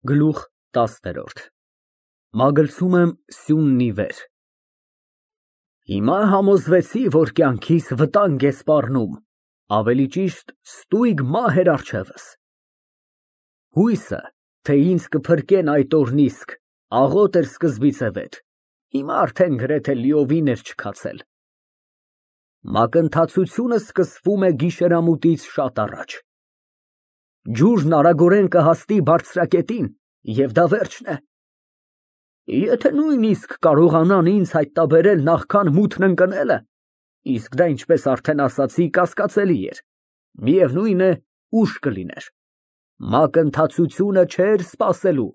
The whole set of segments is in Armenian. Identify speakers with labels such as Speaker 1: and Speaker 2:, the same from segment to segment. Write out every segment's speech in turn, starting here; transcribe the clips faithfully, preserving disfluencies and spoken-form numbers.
Speaker 1: Գլուխ տասներորդ Մագլցում եմ սյունն ի վեր։ Հիմա համոզվեցի, որ կյանքիս վտանգ է սպառնում, ավելի ճիշտ ստույգ մահ էր առջևս։ Հույսը, թե ինձ կփրկեն այդ օրն իսկ, աղոտ էր սկզբից վեր, հիմա արդեն գրեթե լիովին էր չքացել։ Մակընթացությունը սկսվում է գիշերամուտից շատ առաջ։ Ջուրն արագորեն կհասնի բարձրակետին, և դա վերջն է։ Եթե նույնիսկ կարողանան ինձ հայտնաբերել նախքան մութն ընկնելը, իսկ դա, ինչպես արդեն ասացի, կասկածելի էր, միևնույն է, ուշ կլիներ, մակընթացությունը չէր սպասելու։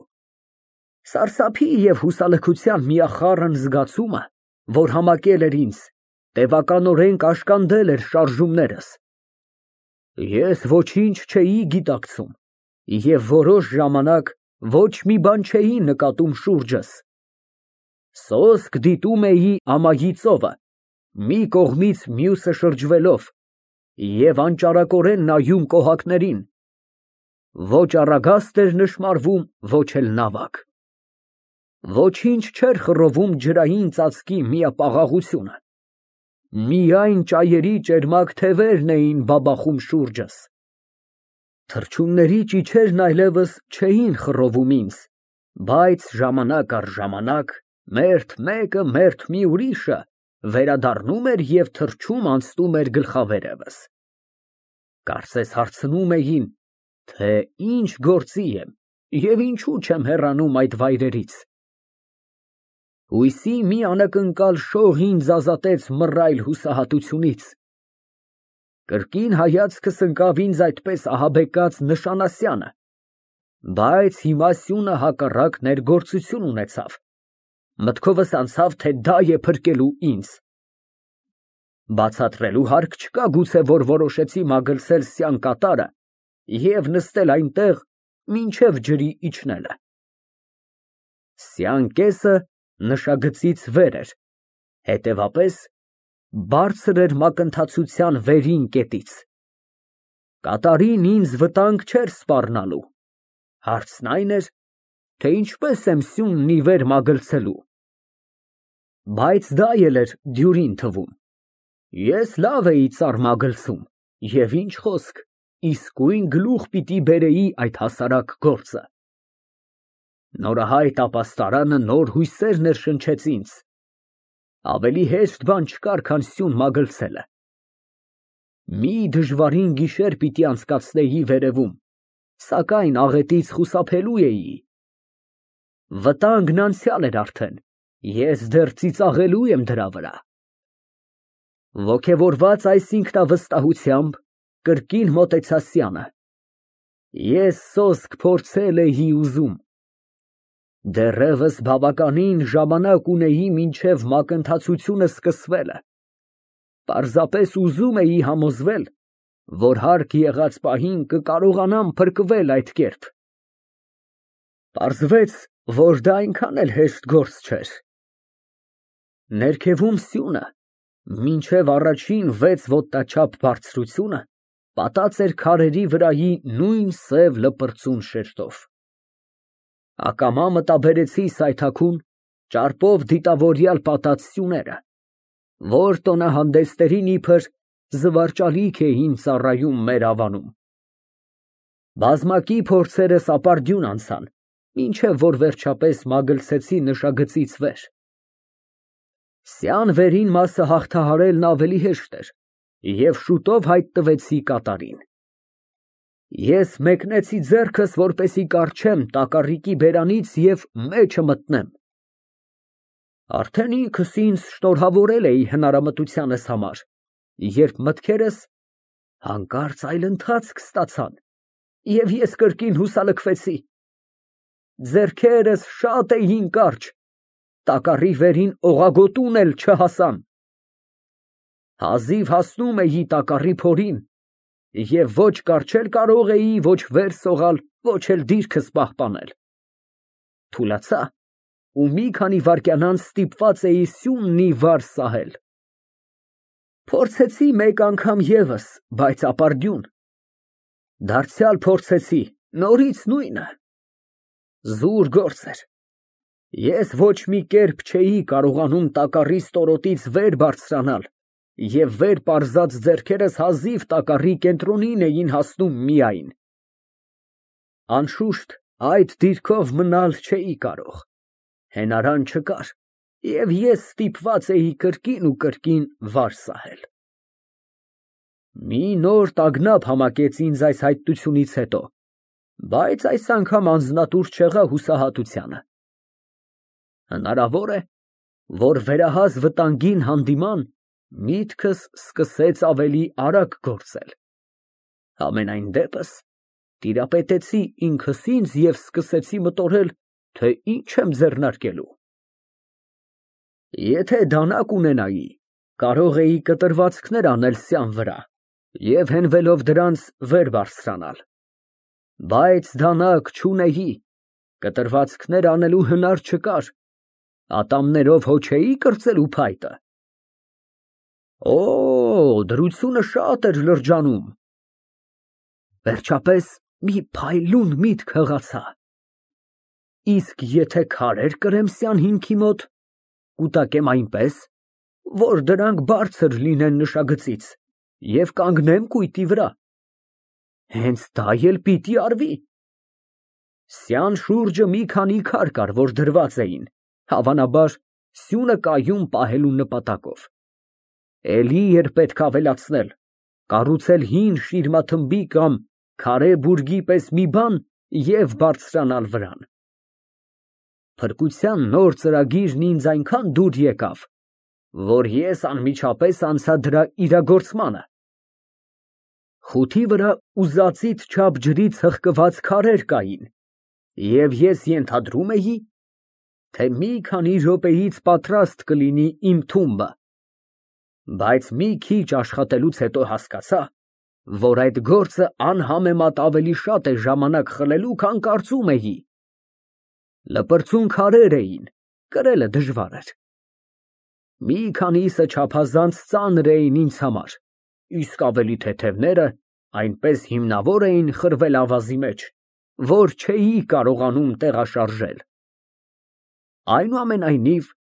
Speaker 1: Սարսափի և հուսալքության միախառն զգացումը, որ համակել էր ինձ, տևականորեն կաշկանդել էր շարժումներս։ Ես ոչինչ չէի գիտակցում և որոշ ժամանակ ոչ մի բան չէի նկատում շուրջս։ Սոսկ դիտում էի ամայի ծովը, մի կողմից մյուսը շրջվելով, և անճարակորեն նայում կոհակներին, ոչ առագաստ էր նշմարվում, ոչ էլ նավակ։ Ոչինչ չէր խռովում ջրային ծածկի միապաղաղությունը, միայն ճայերի ճերմակ թևերն էին բաբախում շուրջս։ Թռչունների ճիչերն այլևս չէին խռովում ինձ, բայց ժամանակ առ ժամանակ մերթ մեկը, մերթ մի ուրիշը վերադառնում էր և թռչում անցնում էր գլխավերևս։ Կարծես հարցնում էին, թե ինչ գործի եմ և ինչու չեմ հեռանում այդ վայրերից։ Հույսի մի անակնկալ շող ինձ ազատեց մռայլ հուսահատությունից։ Կրկին հայացքս ընկավ ինձ այդպես ահաբեկած նշանասյանը, բայց հիմա սյունը հակառակ ներգործություն ունեցավ, մտքովս անցավ, թե դա է փրկելու ինձ։ Բացատրելու հարկ չկա գուցե, որ որոշեցի մագլցել սյան կատարը և նստել այնտեղ մինչև ջրի իջնելը։ Սյան կեսը նշագծից վեր էր, հետևապես բարձր էր մակընթացության վերին կետից։ Կատարին ինձ վտանգ չէր սպառնալու, հարցն այն էր, թե ինչպես եմ սյունն ի վեր մագլցելու։ Բայց դա էլ էր դյուրին թվում։ Ես լավ էի ծառ մագլցում և ինչ խոսք, իսկույն գլուխ պիտի բերեի այդ հասարակ գործը։ Նորահայտ ապաստարանը նոր հույսեր ներշնչեց ինձ։ Ավելի հեշտ բան չկար, քան սյուն մագլցելը։ Մի դժվարին գիշեր պիտի անցկացնեի վերևում, սակայն աղետից խուսափելու էի։ Վտանգն անցյալ էր արդեն, ես դեռ ծիծաղելու եմ դրա վրա։ Ոգևորված այս ինքնավստահությամբ, կրկին մոտեցա սյանը։ Ես սոսկ փորձել էի ուզում։ Դեռևս բավականին ժամանակ ունեի մինչև մակընթացությունը սկսվելը, պարզապես ուզում էի համոզվել, որ հարկ եղած պահին կկարողանամ փրկվել այդ կերպ։ Պարզվեց, որ դա այնքան էլ հեշտ գործ չէր։ Ներքևում սյունը, մինչև առաջին վեց ոտնաչափ բարձրությունը, պատած էր քարերի վրայի նույն սև լպրծուն շերտով։ Ակամա մտաբերեցի սայթաքուն, ճարպով դիտավորյալ պատած սյուները, որ տոնահանդեսներին իբր զվարճալիք էին ծառայում մեր ավանում։ Բազմակի փորձերս ապարդյուն անցան, մինչև որ վերջապես մագլցեցի նշագծից վեր։ Սյան վերին մասը հաղթահարելն ավելի հեշտ էր, և շուտով հայտնվեցի կատարին։ Ես մեկնեցի ձեռքս, որպեսզի կառչեմ տակառիկի բերանից և մեջը մտնեմ։ Արդեն ինքս ինձ շնորհավորել էի հնարամտությանս համար, երբ մտքերս հանկարծ այլ ընթացք ստացան, և ես կրկին հուսալքվեցի։ Ձեռքերս շատ էին կարճ, տակառի վերին օղագոտուն էլ չհասան։ Հազիվ հասնում էի տակառի փորին և ոչ կառչել կարող էի, ոչ վեր սողալ, ոչ էլ դիրքս պահպանել։ Թուլացա ու մի քանի վայրկյան անց ստիպված էի սյունն ի վար սահել։ Փորձեցի մեկ անգամ ևս, բայց ապարդյուն։ Դարձյալ փորձեցի, նորից նույնը։ Զուր գործ էր։ Ես ոչ մի կերպ չէի կարողանում տակառի ստորոտից վեր բարձրանալ և վեր պարզած ձեռքերս հազիվ տակառի կենտրոնին էին հասնում միայն։ Անշուշտ, այդ դիրքով մնալ չէի կարող, հենարան չկար, և ես ստիպված էի կրկին ու կրկին վար սահել։ Մի նոր տագնապ համակեց ինձ այս հայտությունից հետո, բայց այս անգամ անձնատուր չեղա հուսահատությանը։ Հնարավոր է, որ վերահաս վտանգին հանդիման միտքս սկսեց ավելի արագ գործել։ Համենայն դեպս, տիրապետեցի ինքս ինձ և սկսեցի մտորել, թե ինչ եմ ձեռնարկելու։ Եթե դանակ ունենայի, կարող էի կտրվածքներ անել սյան վրա և հենվելով դրանց վեր բարձրանալ, բայց դանակ չունեի, կտրվածքներ անելու հնար չկար, ատամներով հո չէի կրծելու փայտը։ Օ, դրությունը շատ էր լրջանում։ Վերջապես մի փայլուն միտք հղացա. իսկ եթե քարեր կրեմ սյան հիմքի մոտ, կուտակեմ այնպես, որ դրանք բարձր լինեն նշագծից և կանգնեմ կույտի վրա։ Հենց դա էլ պիտի արվի։ Սյան շուրջը մի քանի քար կար, որ դրված էին, հավանաբար, սյունը կայուն պահելու նպատակով։ Էլի էր պետք ավելացնել, կառուցել հին շիրմաթմբի կամ քարե բուրգի պես մի բան և բարձրանալ վրան։ Փրկության նոր ծրագիրն ինձ այնքան դուր եկավ, որ ես անմիջապես անցա դրա իրագործմանը։ Խութի վրա ուզածիդ չափ ջրից հղկված քարեր կային, և ես ենթադրում էի, թե մի քանի րոպեից պատրաստ կլինի իմ թումբը, բայց մի քիչ աշխատելուց հետո հասկացա, որ այդ գործը անհամեմատ ավելի շատ է ժամանակ խլելու, քան կարծում էի։ Լպրծուն քարեր էին, կրելը դժվար էր։ Մի քանիսը չափազանց ծանր էին ինձ համար, իսկ ավելի թեթևները այնպես հիմնավոր էին խրվել ավազի մեջ, որ չէի կարողանում տեղաշարժել։ Այնուամենայնիվ,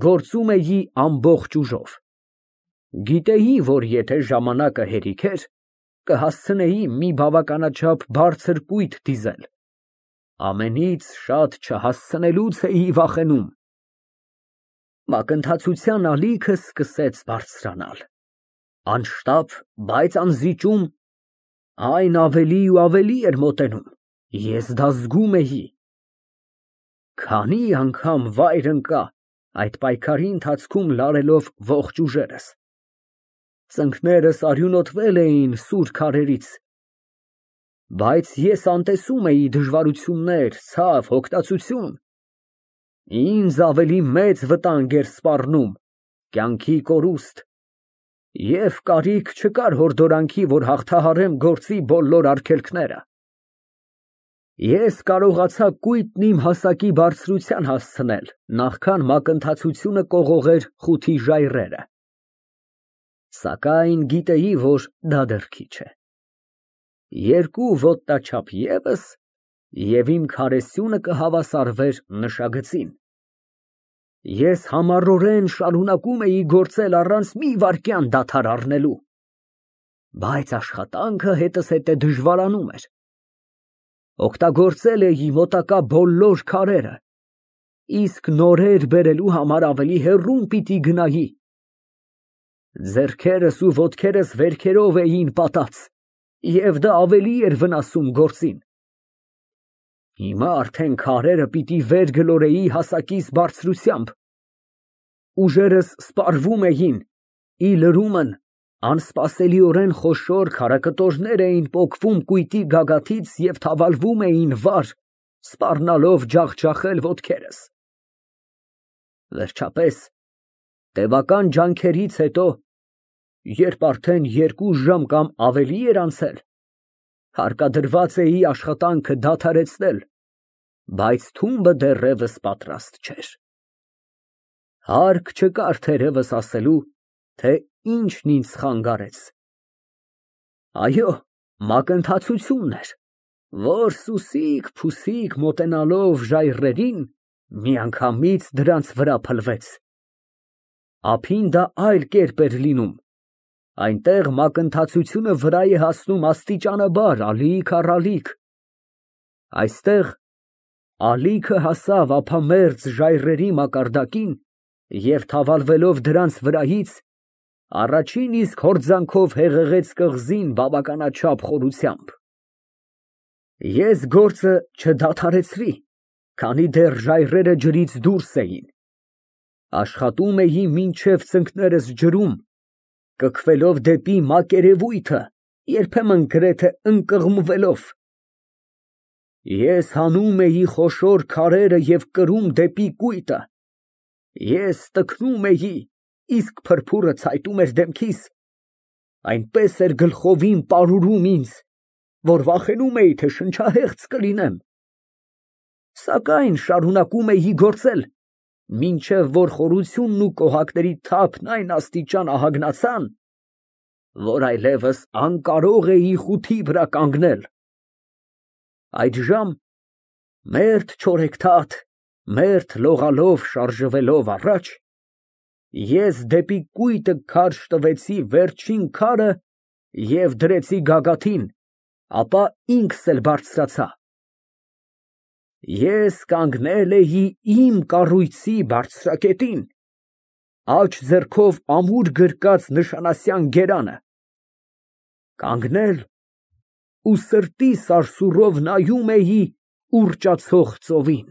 Speaker 1: գործում էի ամբողջ ուժով։ Գիտեի, որ եթե ժամանակը հերիք էր, կհասցնեի մի բավականաչափ բարձր կույտ դիզել։ Ամենից շատ չհասցնելուց էի վախենում։ Մակընթացության ալիքը սկսեց բարձրանալ։ Անշտապ, բայց անզիջում, այն ավելի ու ավելի էր մոտենում, ես դա զգում էի։ Քանի անգամ վայր ընկա այդ պայքարի ընթացքում լարելով ողջ ուժերս։ Ծնկներս արյունոտվել էին սուր քարերից, բայց ես անտեսում էի դժվարություններ, ցավ, հոգնածություն։ Ինձ ավելի մեծ վտանգ էր սպառնում կյանքի կորուստ, և կարիք չկար հորդորանքի, որ հաղթահարեմ գործի բոլոր արգելքները։ Ես կարողացա կույտն իմ հասակի բարձրության հասցնել, նախքան մակընթացությունը կողողեր խութի ժայռերը։ Սակայն գիտեի, որ դա դեռ քիչ է։ Երկու ոտնաչափ ևս, և իմ քարեսյունը կհավասարվեր նշագծին։ Ես համառորեն շարունակում էի գործել առանց մի վայրկյան դադար առնելու, բայց աշխատանքը հետզհետե դժվարանում էր։ Օգտագործել էի մոտակա բոլոր քարերը, իսկ նորեր բերելու համար ավելի հեռուն պիտի գնայի։ Ձեռքերս ու ոտքերս վերքերով էին պատած, և դա ավելի էր վնասում գործին։ Հիմա արդեն քարերը պիտի վեր գլորեի հասակիս բարձրությամբ։ Ուժերս սպառվում էին, ի լրումն անսպասելիորեն խոշոր քարակտորներ էին պոկվում կույտի գագաթից և թավալվում էին վար, սպառնալով ջախջախել ոտքերս։ Վերջապես, տևական ջանքերից հետո, երբ արդեն երկու ժամ կամ ավելի էր անցել, հարկադրված էի աշխատանքը դադարեցնել, բայց թումբը դեռևս պատրաստ չէր։ Հարկ չկար թերևս ասելու, թե ինչն ինձ խանգարեց։ Այո, մակընթացությունն էր, որ սուսիկ֊փուսիկ մոտենալով ժայռերին, միանգամից դրանց վրա փլվեց։ Ափին դա այլ կերպ էր լինում, այնտեղ մակընթացությունը վրա է հասնում աստիճանաբար, ալիք առ ալիք, այստեղ ալիքը հասավ ափամերձ ժայռերի մակարդակին և թավալվելով դրանց վրայից, առաջին իսկ հորձանքով հեղեղեց կղզին բավականաչափ խորությամբ։ Ես գործը չդադարեցրի, քանի դեռ ժայռերը ջրից դուրս էին, աշխատում էի մինչև ծնկներս ջրում, կքվելով դեպի մակերևույթը, երբեմն գրեթե ընկղմվելով։ Ես հանում էի խոշոր քարերը և կրում դեպի կույտը, ես տքնում էի, իսկ փրփուրը ցայտում էր դեմքիս, այնպես էր գլխովին պարուրում ինձ, որ վախենում էի, թե շնչահեղձ կլինեմ, սակայն շարունակում էի գործել, մինչև որ խորությունն ու կոհակների թափն այն աստիճան ահագնացան, որ այլևս անկարող էի խութի վրա կանգնել։ Այդժամ մերթ չորեքթաթ, մերթ լողալով շարժվելով առաջ, ես դեպի կույտը քարշ տվեցի վերջին քարը և դրեցի գագաթին, ապա ինքս էլ բարձրացա։ Ես կանգնել էի իմ կառույցի բարձրակետին, աջ ձեռքով ամուր գրկած նշանասյան գերանը, կանգնել ու սրտի սարսուռով նայում էի ուռճացող ծովին։